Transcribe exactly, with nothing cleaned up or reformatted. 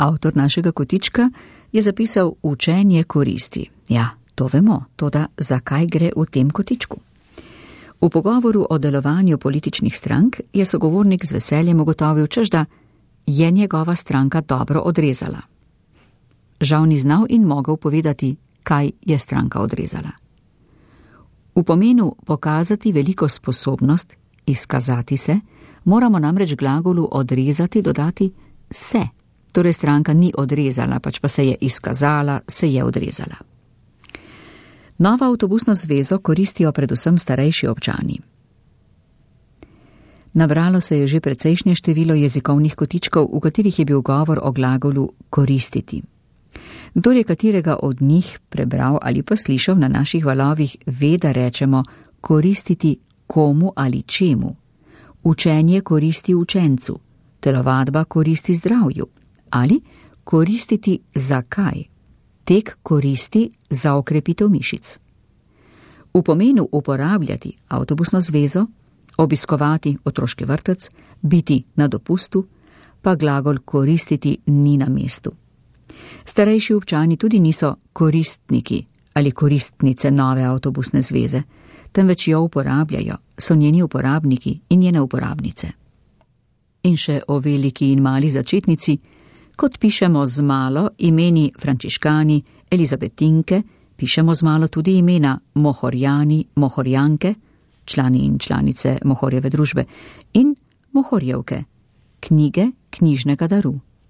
Avtor našega kotička je zapisal učenje koristi. Ja, to vemo, toda zakaj gre v tem kotičku? V pogovoru o delovanju političnih strank je sogovornik z veseljem ugotovil, češ da je njegova stranka dobro odrezala. Žal ni znal in mogel povedati, kaj je stranka odrezala. V pomenu pokazati veliko sposobnost, izkazati se, moramo namreč glagolu odrezati dodati se. Torej stranka ni odrezala, pač pa se je izkazala, se je odrezala. Novo avtobusno zvezo koristijo predvsem starejši občani. Nabralo se je že precejšnje število jezikovnih kotičkov, v katerih je bil govor o glagolu koristiti. Kdor je katerega od njih prebral ali pa slišal na naših valovih, ve, da rečemo koristiti komu ali čemu. Učenje koristi učencu, telovadba koristi zdravju ali koristiti zakaj. Tek koristi za okrepitev mišic. V pomenu uporabljati avtobusno zvezo, obiskovati otroški vrtec, biti na dopustu, pa glagol koristiti ni na mestu. Starejši občani tudi niso koristniki ali koristnice nove avtobusne zveze, temveč jo uporabljajo, so njeni uporabniki in njene uporabnice. In še o veliki in mali začetnici, kot pišemo z malo imeni Frančiškani, Elizabetinke, pišemo z malo tudi imena Mohorjani, Mohorjanke, člani in članice Mohorjeve družbe, in Mohorjevke, knjige knjižnega daru.